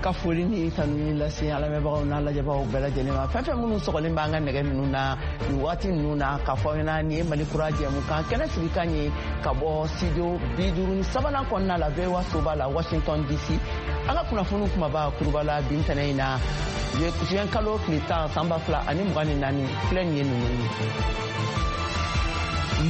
Ka foli ni tanuni lase an lamɛnbagaw n'an lajɛbagaw bɛɛ lajɛlen ma, fɛn fɛn minnu sɔgɔlen b'an ka nɛgɛ ninnu na nin waati ninnu na, k'a fɔ aw ɲɛna nin ye Mali Kura jɛmukan kɛnɛ sigikan ye ka bɔ studio 53nan kɔnɔna la, VOA soba la, Washington DC. An ka kunnafoniw kumaba kuruba la bi ntɛnɛn in na, juin kalo tile 10, san 2024, filɛ nin ye ninnu ye.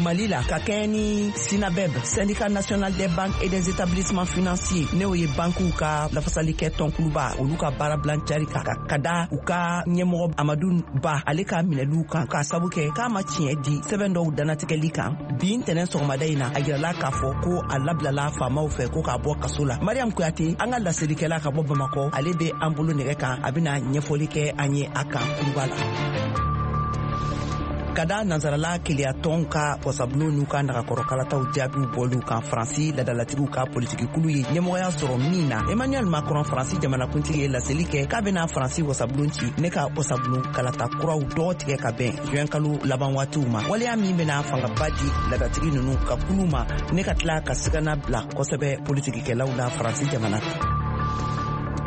Mali la, ka kɛɲɛ ni SYNABEF, Syndicat national des banques et des établissements financiers, n'o ye bankiw ka lafasalikɛ tɔnkuluba, olu ka baarabilan cari kan ka da u ka ɲɛmɔgɔ Amadu Ba, ale ka minɛliw kan, k'a sabu kɛ k'a ma tiɲɛ di sɛbɛn dɔw danatigɛli kan. Bi ntɛnɛn sɔgɔmada in na, a yirala k'a fɔ ko a labilala faamaw fɛ ko k'a bɔ kaso la. Mariam Kuyate, an ka laselikɛla ka bɔ Bamakɔ, ale bɛ an bolo nɛgɛ kan, a bɛna ɲɛfɔli kɛ an ye a kan kuruba la. Ka da nansarala keleyatɔnw ka wasabulon n'u ka nagakɔrɔkalataw jaabiw bɔliw kan, Faransi ladalatigiw ka politikikulu ye ɲɛmɔgɔya sɔrɔ min na, Emmanuel Macron, Faransi jamanakuntigi, ye laseli kɛ k'a bɛna Faransi wasabulon ci ne ka wasabulon kalata kuraw dɔgɔ tigɛ ka bɛn juin kalo laban waatiw ma, waleya min bɛna fangaba di ladatigi ninnu ka kulu ma ne ka tila ka sigana bila kosɛbɛ politikikɛlaw la Faransi jamana kan.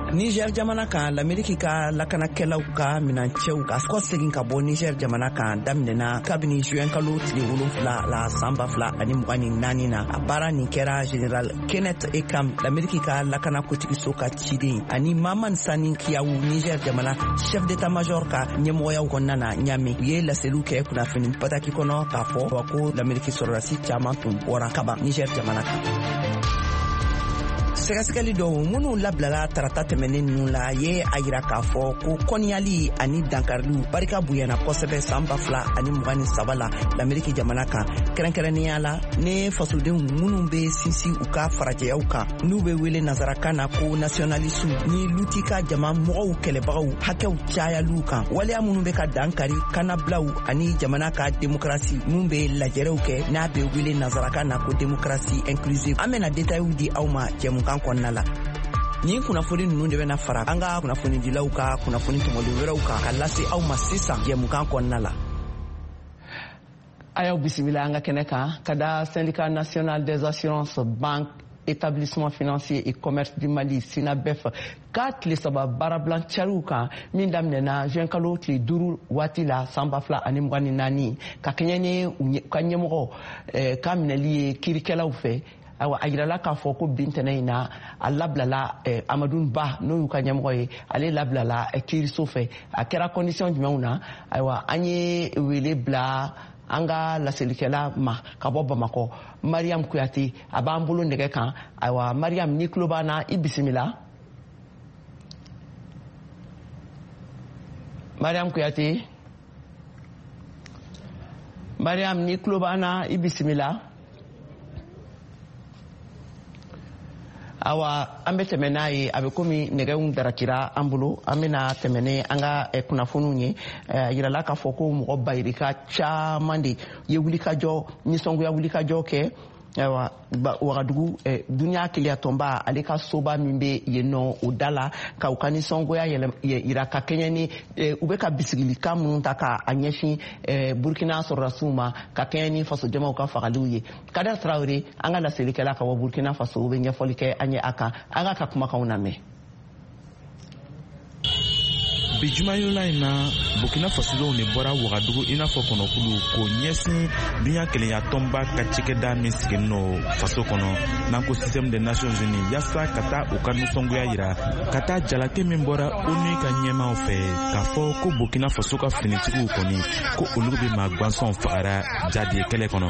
Niger jamana kan, Lameriki ka lakanakɛlaw ka minancɛw ka kɔsegin ka bɔ Niger jamana kan daminɛna kabini juin kalo tile 7 la, san 2024 na. A baara nin kɛra General Kenneth Ekam, Lameriki ka lakana kotigiso ka ciden, ani Maman Sani Kiyawu, Niger jamana chef d'état major ka ɲɛmɔgɔyaw kɔnɔna na Ɲame. U ye laseliw kɛ kunnafoni bataki kɔnɔ k'a fɔ wa ko Lameriki sɔrɔdasi caman tun bɔra kaban Niger jamana kan. Sɛgɛsɛgɛli dɔw minnu labilala tarata tɛmɛnen ninnu la ye a yira k'a fɔ ko kɔniyali ani dankariliw barika bonyana kosɛbɛ san 2023 la Lameriki jamana kan, kɛrɛnkɛrɛnnenya la ne fasodenw minnu bɛ sinsin u ka farajɛyaw kan, n'u bɛ wele nansarakan na ko nationalistew, ni luti ka jama mɔgɔw kɛlɛbagaw hakɛw cayaliw kan, waleya minnu bɛ ka dankari kanabilaw ani jamana ka demokarasi min bɛ lajɛrɛw kɛ, n'a bɛ wele nansarakan na ko démocratie inclusive. An bɛna détailw di aw ma jɛmukan kɔnɔna la. Nin kunnafoni ninnu de bɛna fara an ka kunnafonidilaw ka kunnafoni tɔmɔlen wɛrɛw kan ka lase aw ma sisan jɛmukan kɔnɔna la. A y'aw bisimila an ka kɛnɛ kan. Ka da Syndicat national des assurances, banques, établissements financiers et commerce du Mali, SYNABEF, ka tile 3 baarabilan cariw kan min daminɛna juin kalo tile 5 waati la, san 2024, ka kɛɲɛ ni u ka ɲɛmɔgɔ ka minɛli ye kiirikɛlaw fɛ, ayiwa, a yirala k'a fɔ ko bi ntɛnɛn in na, a labilala. Amadu Ba, n'o y'u ka ɲɛmɔgɔ ye, ale labilala kiiriso fɛ. A kɛra condition jumɛnw na? Ayiwa, an ye wele bila an ka laselikɛla ma ka bɔ Bamakɔ, Mariam Kuyate, a b'an bolo nɛgɛ kan. Ayiwa, Mariam, n'i tulo b'an na, i bisimila. Mariam Kuyate, Mariam, n'i tulo b'an na, i bisimila. Awa, an bɛ tɛmɛ n'a ye. A bɛ komi nɛgɛw darakira an bolo. An bɛna tɛmɛ ni an ka kunnafoniw ye. A yirala k'a fɔ ko mɔgɔ bayirika caman de ye wulikajɔ, nisɔngoya wulikajɔ kɛ, ayiwa, Wagadugu, duniya keleyatɔnba, ale ka soba min bɛ yen nɔ, o da la, ka u ka nisɔngoya yira ka kɛɲɛ ni u bɛ ka bisigilikan minnu ta ka a ɲɛsin Burkina sɔrɔdasiw ma, ka kɛɲɛ ni fasojamaw ka fagaliw ye. Kader Traore, an ka laselikɛla ka bɔ Burkina Faso, o bɛ ɲɛfɔli kɛ an ye a kan. An ka kumakanw lamɛn. Bi jumayola in na, Burkina Fasodenw de bɔra Wagadugu i n'a fɔ kɔnɔkulu k'o ɲɛsin duɲa kelenya tɔnba ka cakɛda min sigilen no faso kɔnɔ, n'an ko système des Nations Unies, yaasa ka taa u ka nisɔngoya yira ka taa jalaki min bɔra ONU ka ɲɛmaw fɛ k'a fɔ ko Burkina Faso ka finitigiw kɔni, ko olu bɛ maa gwansɔnw fagara jadi kɛlɛ kɔnɔ.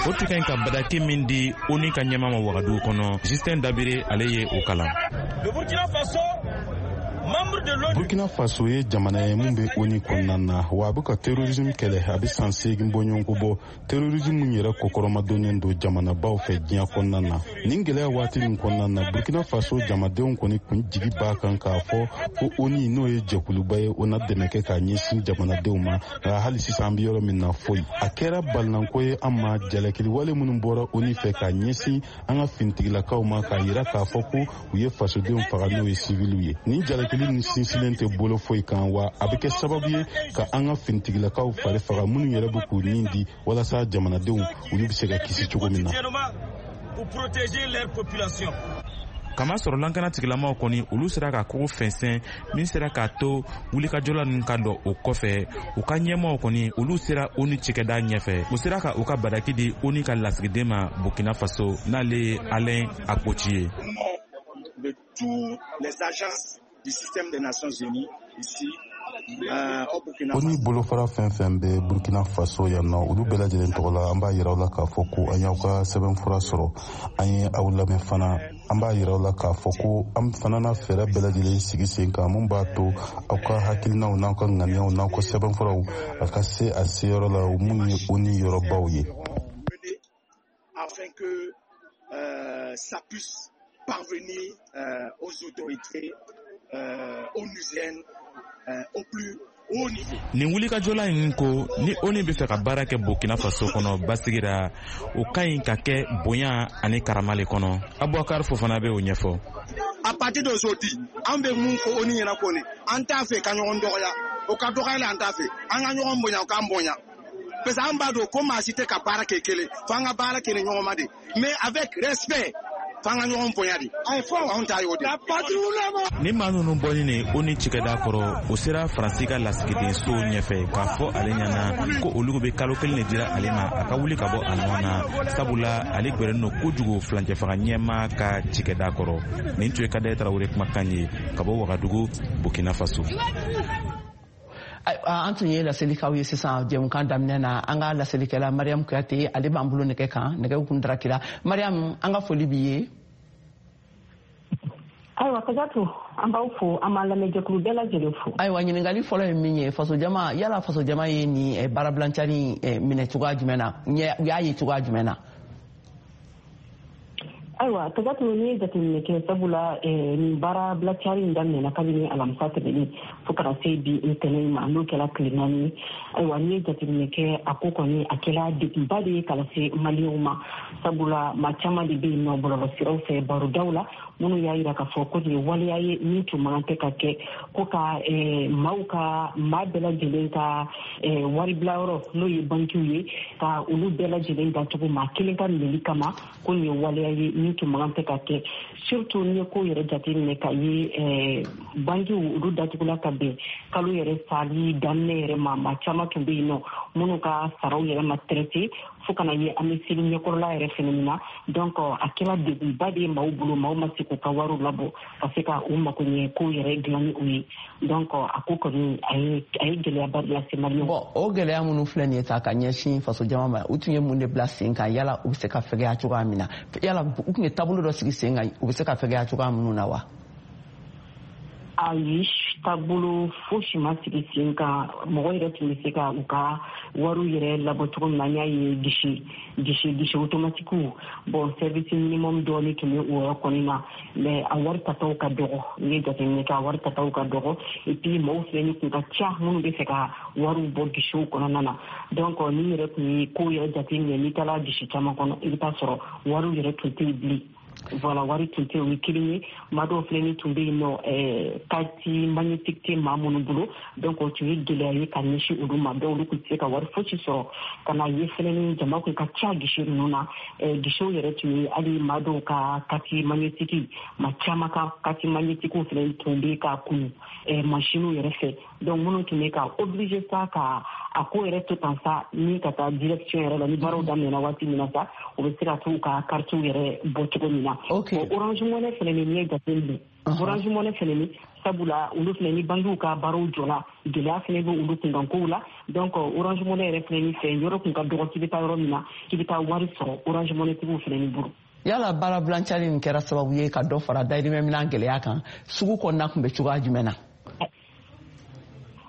O tun ka ɲi ka badaki min di ONU ka ɲɛma ma Wagadugu kɔnɔ, Justin Dabire, ale ye o kalan. Burkina Faso ye jamana ye mun bɛ ONU kɔnɔna na, wa a bɛ ka terrorisme kɛlɛ a bɛ san 8 bɔɲɔgɔnko bɔ, terrorisme min yɛrɛ kɔkɔrɔmadonnen don jamanabaw fɛ diɲɛ kɔnɔna na. Nin gɛlɛya waati min kɔnɔna na, Burkina Faso jamadenw kɔni kun jigi b'a kan k'a fɔ ko ONU, n'o ye jɛkuluba ye, o na dɛmɛ kɛ k'a ɲɛsin jamanadenw ma. Nka hali sisan, an bɛ yɔrɔ min na, foyi. A kɛra balinanko ye an ma, jalakiliwale minnu bɔra ONU fɛ k'a ɲɛsin an ka finitigilakaw ma, k'a yira k'a fɔ ko u ye fasodenw faga, n'o ye siviliw ye. Nin jalakili nin sinsinlen tɛ bolo foyi kan, wa a bɛ kɛ sababu ye ka an ka finitigilakaw fari faga, minnu yɛrɛ bɛ k'u nin di walasa jamanadenw olu bɛ se ka kisi cogo min na. Pour protéger leur population. Kamasɔrɔ lankana tigilamaw kɔni, olu sera ka kogo fɛnsɛn min sera k'a to wulikajɔla ninnu ka dɔ. O kɔfɛ, u ka ɲɛmaw kɔni, olu sera ONU cikɛda ɲɛfɛ. U sera ka u ka badaki di ONU ka lasigiden ma Burkina Faso, n'ale ye Alain Akpoti ye. De toutes les agences du système des Nations Unies ici ONU bolofara fɛn fɛn bɛ Burkina Faso yan nɔ, olu bɛɛ lajɛlen tɔgɔ la, an b'a yira aw la k'a fɔ ko an y'aw ka sɛbɛnfura sɔrɔ, an ye aw lamɛn fana. An b'a yira aw la k'a fɔ ko an fana na fɛɛrɛ bɛɛ lajɛlen sigi sen kan mun b'a to aw ka hakilinaw n'aw ka ŋaniyaw n'aw ka sɛbɛnfuraw a ka se a seyɔrɔ la, mun ye ONU yɔrɔbaw ye. Afin que ça puisse parvenir aux autorités onusiennes au plus haut niveau. Nin wulikajɔla in ko ni ONU bɛ fɛ ka baara kɛ Burkina Faso kɔnɔ basigira, o ka ɲi ka kɛ bonya ani karama le kɔnɔ. Abubakar Fofana bɛ o ɲɛfɔ. À partir d'aujourd'hui, an bɛ mun fɔ ONU ɲɛna ko nin, an t'a fɛ ka ɲɔgɔn dɔgɔya, o ka dɔgɔya, an t'a fɛ an ka ɲɔgɔn bonya, o k'an bonya, parce que an b'a dɔn ko maa si tɛ ka baara kɛ kelen fo an ka baara kɛ ni ɲɔgɔn ma de, mais avec respect, f'an ka ɲɔgɔn bonya de, anw ta y'o de. Ni maa ninnu bɔlen de ONU cikɛda kɔrɔ, o sera Faransi ka lasigidenso ɲɛfɛ k'a fɔ ale ɲɛna ko olu bɛ kalo 1 de dira ale ma a ka wuli ka bɔ a nɔ na, sabula ale gwɛrɛnen don kojugu filancɛfaga ɲɛmaa ka cikɛda kɔrɔ. Nin tun ye Kadɛ Tarawele kumakan ye ka bɔ Wagadugu, Burkina Faso. An tun ye laseli k'aw ye sisan jɛmukan daminɛ na. An ka laselikɛla Mariam Kuyate, ale b'an bolo nɛgɛ kan, nɛgɛw kun darakira. Mariam, an ka foli b'i ye. Ayiwa Kajatu, an b'aw fo, an b'an lamɛnjɛkulu bɛɛ lajɛlen fo. Ayiwa, ɲininkali fɔlɔ ye min ye, fasojama, yala fasojama ye nin baarabilancani minɛ cogoya jumɛn na, u y'a ye cogoya jumɛn na? Ayiwa Kajatu, n'i ye jateminɛ kɛ, sabula nin baara bilacari in daminɛna kabini alamisa tɛmɛnen fo kana se bi ntɛnɛn ma, n'o kɛra tile 4 ye. Ayiwa, n'i ye jateminɛ kɛ, a ko kɔni a kɛra degunba de ye ka lase Maliyɛnw ma, sabula maa caman de bɛ yen nɔ bɔlɔlɔsiraw fɛ, barodaw la, minnu y'a yira k'a fɔ ko nin ye waleya ye min tun man kan tɛ ka kɛ, ko ka maaw ka, maa bɛɛ lajɛlen ka waribilayɔrɔ, n'o ye bankiw ye, ka olu bɛɛ lajɛlen datugu maa kelen ka minɛli kama, ko nin ye waleya ye min tun man kan tɛ ka kɛ. Surtout n'i ye ko yɛrɛ jateminɛ ka ye, bankiw olu datugula ka bɛn kalo yɛrɛ sali daminɛ yɛrɛ ma. Maa caman tun bɛ yen nɔ minnu ka saraw yɛrɛ ma traité fo kana ye an bɛ seli ɲɛkɔrɔla yɛrɛ fɛnɛ min na. Donc a kɛra degunba de ye maaw bolo, maaw ma se k'u ka wariw labɔ ka se ka u mako ɲɛ kow yɛrɛ dilan ni o ye. Donc a ko kɔni a ye gɛlɛyaba de lase Maliyɛnw. Bon, o gɛlɛya minnu filɛ nin ye ta ka ɲɛsin fasojama ma, u tun ye mun de bila sen kan? Yala u bɛ se ka fɛgɛya cogoya min na, yala u tun ye taabolo dɔ sigi sen kan u bɛ se ka fɛgɛya cogoya minnu na wa? Ayi, taabolo fosi ma sigi sen kan. Mɔgɔ yɛrɛ tun bɛ se ka u ka wariw yɛrɛ labɔ cogo min na, an y'a ye guichet automatiquew, bon, service minimum dɔɔni tun bɛ o yɔrɔ kɔni na, mais a wari tataw ka dɔgɔ. N'i ye jateminɛ kɛ, a wari tataw ka dɔgɔ, et puis maaw filɛ ni kun ka ca minnu bɛ fɛ ka wariw bɔ guichetw kɔnɔna na. Donc n'i yɛrɛ tun ye kow yɛrɛ jateminɛ, n'i taara guichet caman kɔnɔ, i bɛ taa sɔrɔ wariw yɛrɛ tun tɛ yen bilen. Voilà, wari tun tɛ, o ye kelen ye. Maa dɔw filɛ ni tun bɛ yen nɔ, carte magnétique tɛ maa minnu bolo, donc o tun ye gɛlɛya ye ka ɲɛsin olu ma. Donc olu tun tɛ se ka wari fosi sɔrɔ. Ka na ye fɛnɛ ni jama kun ka ca guichet ninnu na, guichetw yɛrɛ tun ye hali maa dɔw ka carte magnétique, maa caman ka carte magnétique fɛnɛ tun bɛ ka kunu machines yɛrɛ fɛ. Donc minnu tun bɛ ka obligé sa ka a ko yɛrɛ to tan sa, ni ka taa direction yɛrɛ la, ni baaraw daminɛna waati min na sa, u bɛ se ka t'u ka kartiw yɛrɛ bɔ cogo min na. Orange Money fɛnɛ ni, n'i ye jateminɛ, Orange Money fɛnɛ ni, sabula olu fɛnɛ ni bankiw ka baaraw jɔla, gɛlɛya fɛnɛ bɛ olu kunkankow la. Donc Orange Money yɛrɛ fɛnɛ ni fɛ, yɔrɔ kun ka dɔgɔ k'i bɛ taa yɔrɔ min na k'i bɛ taa wari sɔrɔ Orange Money tigiw fɛnɛ ni bolo. Yala baarabilancali nin kɛra sababu ye ka dɔ fara dayirimɛ minɛn gɛlɛya kan sugu kɔnɔna tun bɛ cogoya jumɛn na?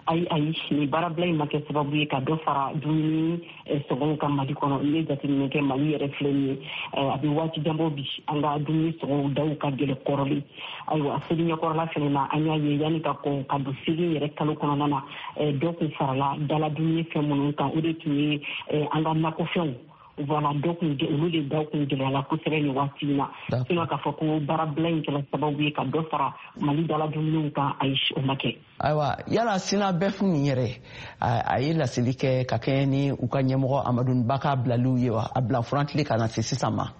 Ayi, ayi, nin baarabila in ma kɛ sababu ye ka dɔ fara dumuni sɔngɔw ka Mali kɔnɔ. N'i ye jateminɛ kɛ, Mali yɛrɛ filɛ nin ye, a bɛ waati janbɔ bi, an ka dumuni sɔngɔw daw ka gɛlɛ kɔrɔlen. Ayiwa, seli ɲɛkɔrɔla fɛnɛ na, an y'a ye yanni ka kɔn ka don seli yɛrɛ kalo kɔnɔna na, dɔ kun farala dala dumuni fɛn minnu kan, o de tun ye an ka nakɔfɛnw. Voilà, dɔ kun olu de daw kun gɛlɛyala kosɛbɛ nin waati in na. Sinon k'a fɔ ko baarabila in kɛra sababu ye ka dɔ fara Mali dala dumuniw kan, ayi, o ma kɛ. Ayiwa, yala SYNABEF nin yɛrɛ, a ye laseli kɛ ka kɛɲɛ ni u ka ɲɛmɔgɔ Amadu Ba ka bilaliw ye wa, a bila furantile ka na se sisan ma?